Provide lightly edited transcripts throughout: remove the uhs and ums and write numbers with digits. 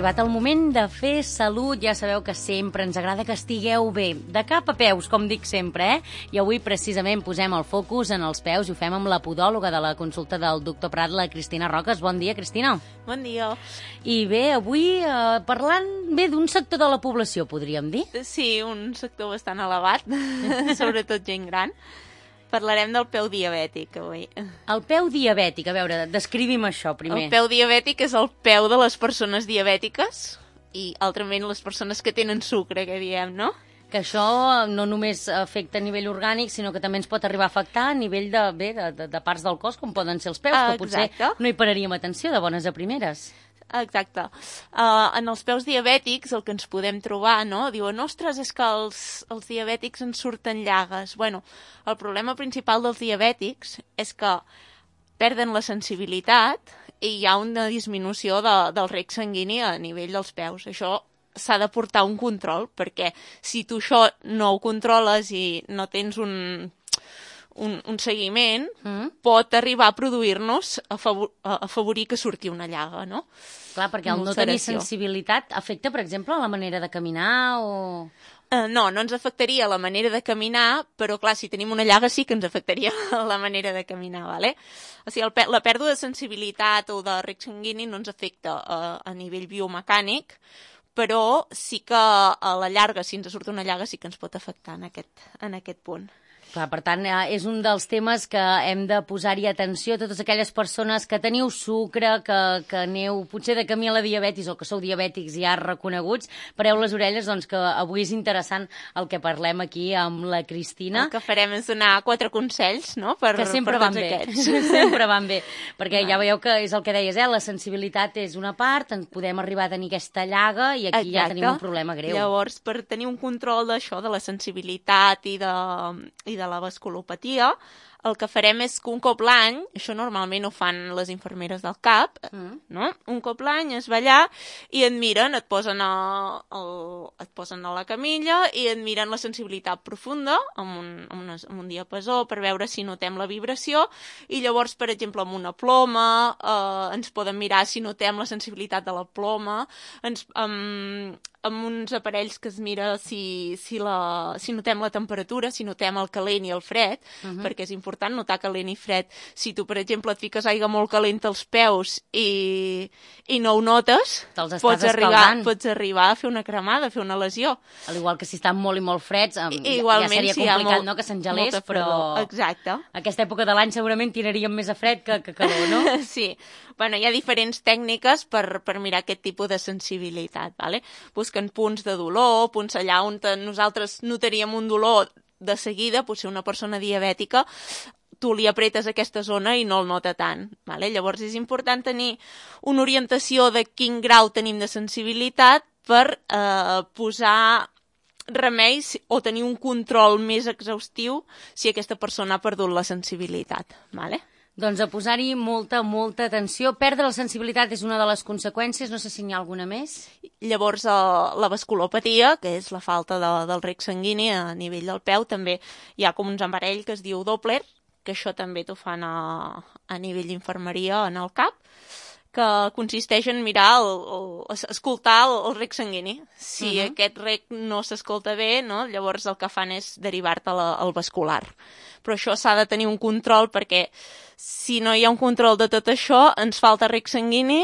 arribat el moment de fer salut. Ja sabeu que sempre ens agrada que estigueu bé, de cap a peus, com dic sempre, I avui precisament posem el focus en els peus i ho fem amb la podòloga de la consulta del doctor Prat, la Cristina Roques. Bon dia, Cristina. Bon dia. I bé, avui parlant bé d'un sector de la població, podríem dir? Sí, un sector bastant elevat, sobretot gent gran. Parlarem del peu diabètic avui. El peu diabètic, a veure, descrivim això primer. El peu diabètic és el peu de les persones diabètiques i altrament les persones que tenen sucre, que diem, no? Que això no només afecta a nivell orgànic, sinó que també ens pot arribar a afectar a nivell de parts del cos, com poden ser els peus, que potser no hi pararíem atenció de bones a primeres. Exacte. En els peus diabètics el que ens podem trobar, no? Diuen, ostres, és que els diabètics ens surten llagues. Bueno, el problema principal dels diabètics és que perden la sensibilitat i hi ha una disminució del reg sanguini a nivell dels peus. Això s'ha de portar un control, perquè si tu això no ho controles i no tens un seguiment, pot arribar a produir-nos, a afavorir que surti una llaga, no? Clar, perquè el no tenir sensibilitat afecta, per exemple, la manera de caminar o... No ens afectaria la manera de caminar, però clar, si tenim una llaga sí que ens afectaria la manera de caminar, ¿vale? O sigui, la pèrdua de sensibilitat o de reg sanguini no ens afecta a nivell biomecànic, però sí que a la llarga, si ens surt una llaga, sí que ens pot afectar en aquest punt. Clar, per tant, és un dels temes que hem de posar-hi atenció. Totes aquelles persones que teniu sucre, que aneu potser de camí a la diabetis o que sou diabètics ja reconeguts, pareu les orelles, doncs que avui és interessant el que parlem aquí amb la Cristina. El que farem és donar 4 consells, no?, que sempre van bé. Sempre van bé, perquè ja veieu que és el que deies, la sensibilitat és una part, en podem arribar a tenir aquesta llaga i aquí ja tenim un problema greu. Llavors, per tenir un control d'això, de la sensibilitat i de la vasculopatia, el que farem és que un cop l'any, això normalment ho fan les infermeres del CAP, no? Un cop l'any es va allà i et miren, et posen a la camilla i et miren la sensibilitat profunda amb un diapasó per veure si notem la vibració i llavors, per exemple, amb una ploma ens poden mirar si notem la sensibilitat de la ploma, amb uns aparells que es mira si notem la temperatura, si notem el calent i el fred, perquè és important notar calent i fred. Si tu, per exemple, et fiques aigua molt calenta als peus i no ho notes, pots arribar a fer una cremada, a fer una lesió. Al igual que si estan molt i molt freds, ja seria complicat, no?, que s'engelés, però exacte. Aquesta època de l'any segurament tiraríem més a fred que calor, no? Sí. Bueno, hi ha diferents tècniques per mirar aquest tipus de sensibilitat, ¿vale? Busquen punts de dolor, punts allà on nosaltres notaríem un dolor de seguida, potser una persona diabètica, tu li apretes aquesta zona i no el nota tant, ¿vale? Llavors és important tenir una orientació de quin grau tenim de sensibilitat per posar remeis o tenir un control més exhaustiu si aquesta persona ha perdut la sensibilitat, ¿vale? Doncs a posar-hi molta atenció. Perdre la sensibilitat és una de les conseqüències, no sé si n'hi ha alguna més. Llavors, la vasculopatia, que és la falta del reg sanguini a nivell del peu, també hi ha com uns aparells que es diu Doppler, que això també t'ho fan a nivell d'infermeria en el CAP, que consisteix en mirar, escoltar el reg sanguini. Si aquest reg no s'escolta bé, no? Llavors el que fan és derivar-te al vascular. Però això s'ha de tenir un control perquè si no hi ha un control de tot això, ens falta reg sanguini,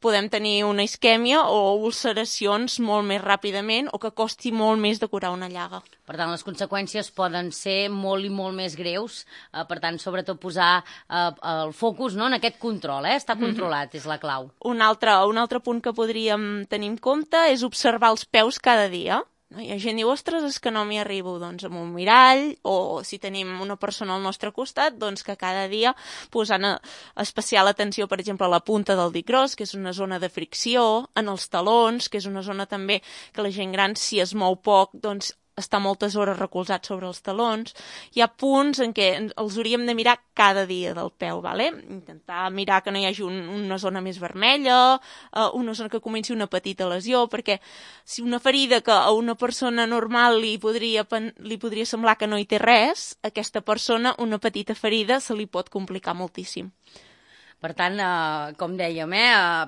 podem tenir una isquèmia o ulceracions molt més ràpidament o que costi molt més de curar una llaga. Per tant, les conseqüències poden ser molt i molt més greus. Per tant, sobretot posar el focus, no?, en aquest control, estar controlat és la clau. Un altre punt que podríem tenir en compte és observar els peus cada dia. Hi ha gent que diu, ostres, és que no m'hi arribo, doncs amb un mirall, o si tenim una persona al nostre costat, doncs que cada dia posant especial atenció, per exemple, a la punta del dit gros, que és una zona de fricció, en els talons, que és una zona també que la gent gran, si es mou poc, doncs està moltes hores recolzat sobre els talons. Hi ha punts en què els hauríem de mirar cada dia del peu, ¿vale? Intentar mirar que no hi hagi una zona més vermella, una zona que comenci una petita lesió, perquè si una ferida que a una persona normal li podria semblar que no hi té res, a aquesta persona una petita ferida se li pot complicar moltíssim. Per tant, com dèiem,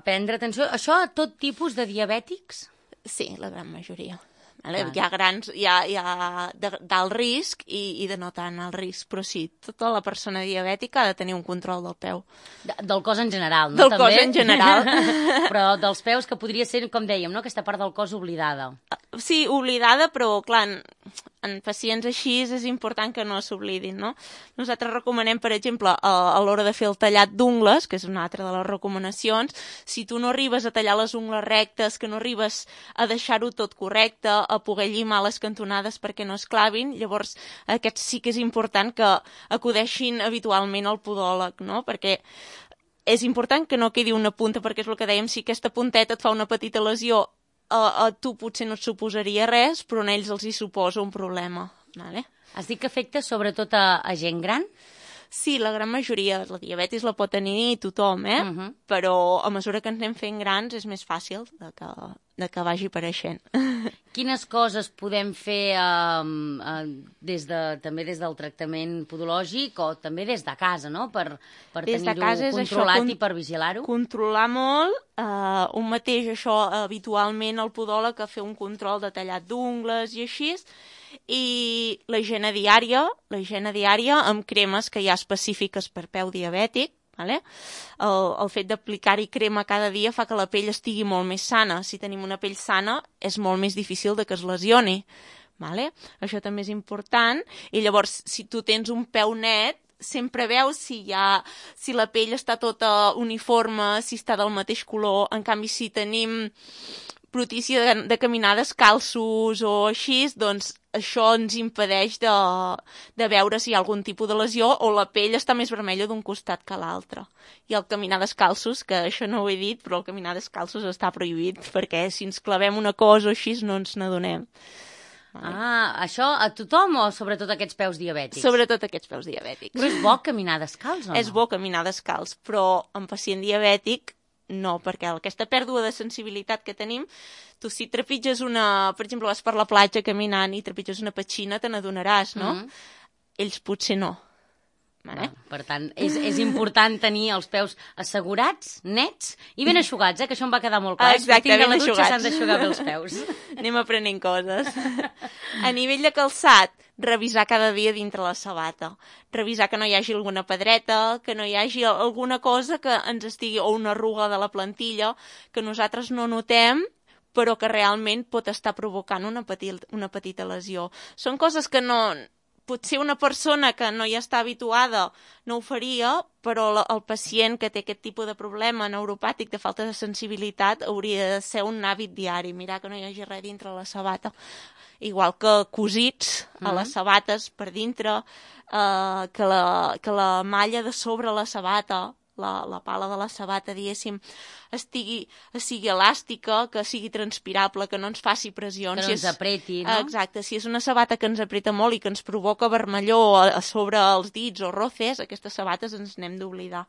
prendre atenció. Això a tot tipus de diabètics? Sí, la gran majoria. Vale? Hi ha grans, hi ha d'alt risc i de no tant alt risc, però sí, tota la persona diabètica ha de tenir un control del peu. Del cos en general, no? Del També? cos en general. Però dels peus, que podria ser, com dèiem, no? Aquesta part del cos oblidada. Sí, oblidada, però clar, en pacients així és important que no s'oblidin, no? Nosaltres recomanem, per exemple, a l'hora de fer el tallat d'ungles, que és una altra de les recomanacions, si tu no arribes a tallar les ungles rectes, que no arribes a deixar-ho tot correcte, a poder llimar les cantonades perquè no es clavin, llavors aquest sí que és important que acudeixin habitualment al podòleg, no? Perquè és important que no quedi una punta, perquè és el que dèiem, si aquesta punteta et fa una petita lesió, a tu potser no et suposaria res, però a ells els hi suposa un problema. Vale? Has dit que afecta sobretot a gent gran? Sí, la gran majoria. La diabetis la pot tenir tothom, Però a mesura que ens anem fent grans és més fàcil de que vagi apareixent. Quines coses podem fer també des del tractament podològic o també des de casa, no? Per tenir-ho controlat i per vigilar-ho? Controlar molt, un mateix això habitualment el podòleg a fer un control de tallat d'ungles i així, i la higiene diària amb cremes que hi ha específiques per peu diabètic. Vale? El fet d'aplicar-hi crema cada dia fa que la pell estigui molt més sana. Si tenim una pell sana és molt més difícil de que es lesioni. Vale? Això també és important. I llavors, si tu tens un peu net, sempre veus si la pell està tota uniforme, si està del mateix color. En canvi, si tenim brutícia de caminar descalços o així, doncs això ens impedeix de veure si hi ha algun tipus de lesió o la pell està més vermella d'un costat que l'altre. I el caminar descalços, que això no ho he dit, però el caminar descalços està prohibit, perquè si ens clavem una cosa o així no ens n'adonem. Això a tothom o sobretot aquests peus diabètics? Sobretot aquests peus diabètics. Però és bo caminar descalç o no? És bo caminar descalç, però en pacient diabètic no, perquè aquesta pèrdua de sensibilitat que tenim, tu si trepitges per exemple, vas per la platja caminant i trepitges una petxina, te n'adonaràs, no? Ells potser no. Vale? Per tant, és important tenir els peus assegurats, nets i ben eixugats, que això em va quedar molt clar. Exacte, ben eixugats. S'han d'eixugar bé els peus. Anem aprenent coses. A nivell de calçat, revisar cada dia dintre la sabata. Revisar que no hi hagi alguna pedreta, que no hi hagi alguna cosa que ens estigui, o una arruga de la plantilla, que nosaltres no notem, però que realment pot estar provocant una petita lesió. Són coses que no... Potser una persona que no hi està habituada no ho faria, però el pacient que té aquest tipus de problema neuropàtic de falta de sensibilitat hauria de ser un hàbit diari, mirar que no hi hagi res dintre la sabata. Igual que cosits a les sabates per dintre, que la malla de sobre la sabata, la pala de la sabata, diguéssim, sigui elàstica, que sigui transpirable, que no ens faci pressions. Que no ens apreti, no? Exacte, si és una sabata que ens apreta molt i que ens provoca vermellor a sobre els dits o roces, aquestes sabates ens n'hem d'oblidar.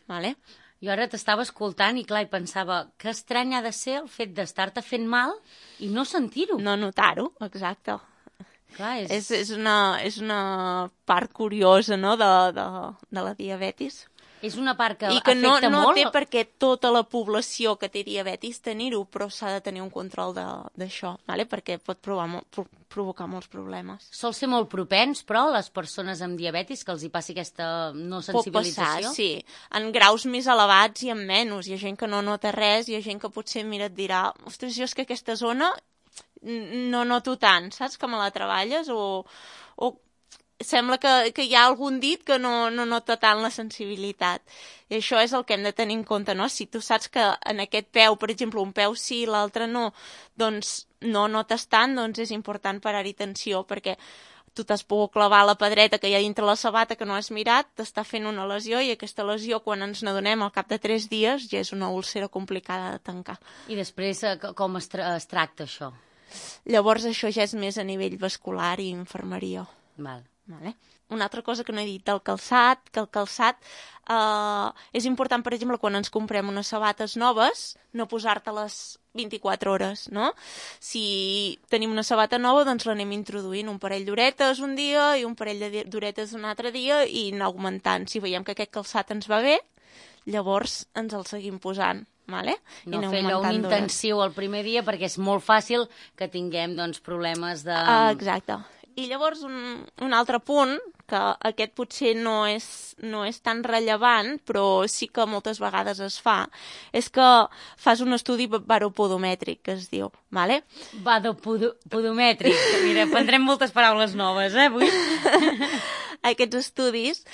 Vale? Jo ara t'estava escoltant i clar, i pensava que estrany ha de ser el fet d'estar-te fent mal i no sentir-ho. No notar-ho, exacte. Clar, és una part curiosa, no?, de la diabetis. És una part que i que afecta no molt. Té perquè tota la població que té diabetis tenir-ho, però s'ha de tenir un control d'això, vale? Perquè pot provocar molts problemes. Sol ser molt propens, però, les persones amb diabetis, que els hi passi aquesta no sensibilització? Pot passar, sí. En graus més elevats i en menys. Hi ha gent que no nota res, hi ha gent que potser et dirà ostres, jo és que aquesta zona no noto tant, saps, que me la treballes o sembla que hi ha algun dit que no nota tant la sensibilitat. I això és el que hem de tenir en compte, no? Si tu saps que en aquest peu, per exemple, un peu sí, l'altre no, doncs no notes tant, doncs és important parar-hi atenció, perquè tu t'has pogut clavar la pedreta que hi ha dintre la sabata que no has mirat, t'està fent una lesió i aquesta lesió, quan ens n'adonem al cap de 3 dies, ja és una úlcera complicada de tancar. I després com es tracta això? Llavors això ja és més a nivell vascular i infermeria. Val. Vale. Una altra cosa que no he dit del calçat, que el calçat és important, per exemple, quan ens comprem unes sabates noves, no posar-te-les 24 hores, no? Si tenim una sabata nova, doncs l'anem introduint un parell d'horetes un dia i un parell d'horetes un altre dia i anar augmentant. Si veiem que aquest calçat ens va bé, llavors ens el seguim posant. Vale? No fer allò un intensiu el primer dia perquè és molt fàcil que tinguem doncs, problemes de... Exacte. I llavors un altre punt, que aquest potser no és tan rellevant, però sí que moltes vegades es fa, és que fas un estudi baropodomètric, que es diu, vale? Baropodomètric. Mira, prendrem moltes paraules noves, avui. Aquests estudis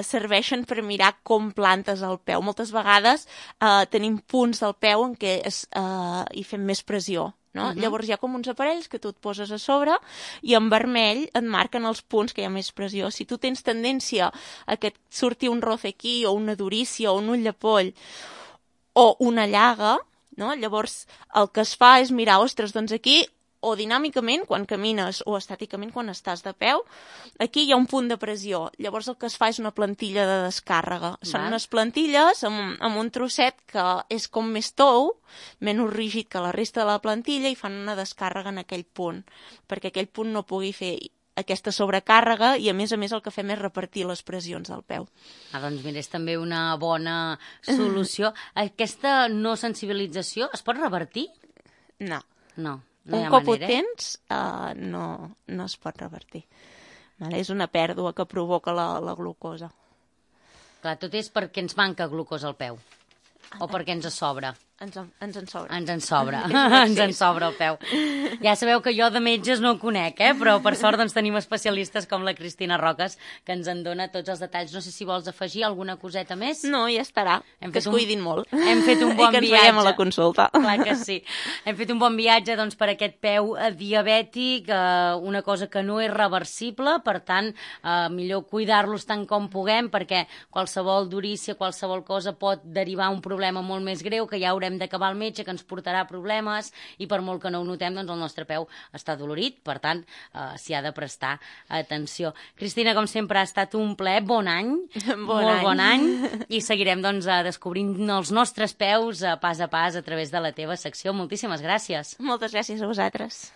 serveixen per mirar com plantes el peu. Moltes vegades tenim punts del peu en què hi fem més pressió. No? Llavors hi ha com uns aparells que tu et poses a sobre i en vermell et marquen els punts que hi ha més pressió. Si tu tens tendència a que et surti un roce aquí o una durícia o un ull de poll o una llaga, no? Llavors el que es fa és mirar, ostres, doncs aquí o dinàmicament quan camines o estàticament quan estàs de peu, aquí hi ha un punt de pressió. Llavors el que es fa és una plantilla de descàrrega. Són unes plantilles amb un trosset que és com més tou, menys rígid que la resta de la plantilla i fan una descàrrega en aquell punt, perquè aquell punt no pugui fer aquesta sobrecàrrega i a més el que fem és repartir les pressions del peu. Doncs mira, és també una bona solució. Aquesta no sensibilització es pot revertir? No. No. Un cop ho tens, no es pot revertir. Vale? És una pèrdua que provoca la glucosa. Clar, tot és perquè ens manca glucosa al peu. O perquè ens sobra. Ens en sobra. Ens en sobra. Ens en sobra el peu. Ja sabeu que jo de metges no conec, però per sort doncs, tenim especialistes com la Cristina Roques que ens en dona tots els detalls. No sé si vols afegir alguna coseta més. No, ja estarà. Que es cuidin molt. Hem fet un bon viatge. I que ens veiem a la consulta. Clar que sí. Hem fet un bon viatge doncs, per aquest peu diabètic, una cosa que no és reversible, per tant, millor cuidar-los tant com puguem, perquè qualsevol durícia, qualsevol cosa pot derivar un problema molt més greu que ja haurem d'acabar al metge, que ens portarà problemes i per molt que no ho notem, doncs el nostre peu està dolorit, per tant s'hi ha de prestar atenció. Cristina, com sempre, ha estat un plaer, bon any, bon any, i seguirem doncs descobrint els nostres peus pas a pas a través de la teva secció. Moltíssimes gràcies. Moltes gràcies a vosaltres.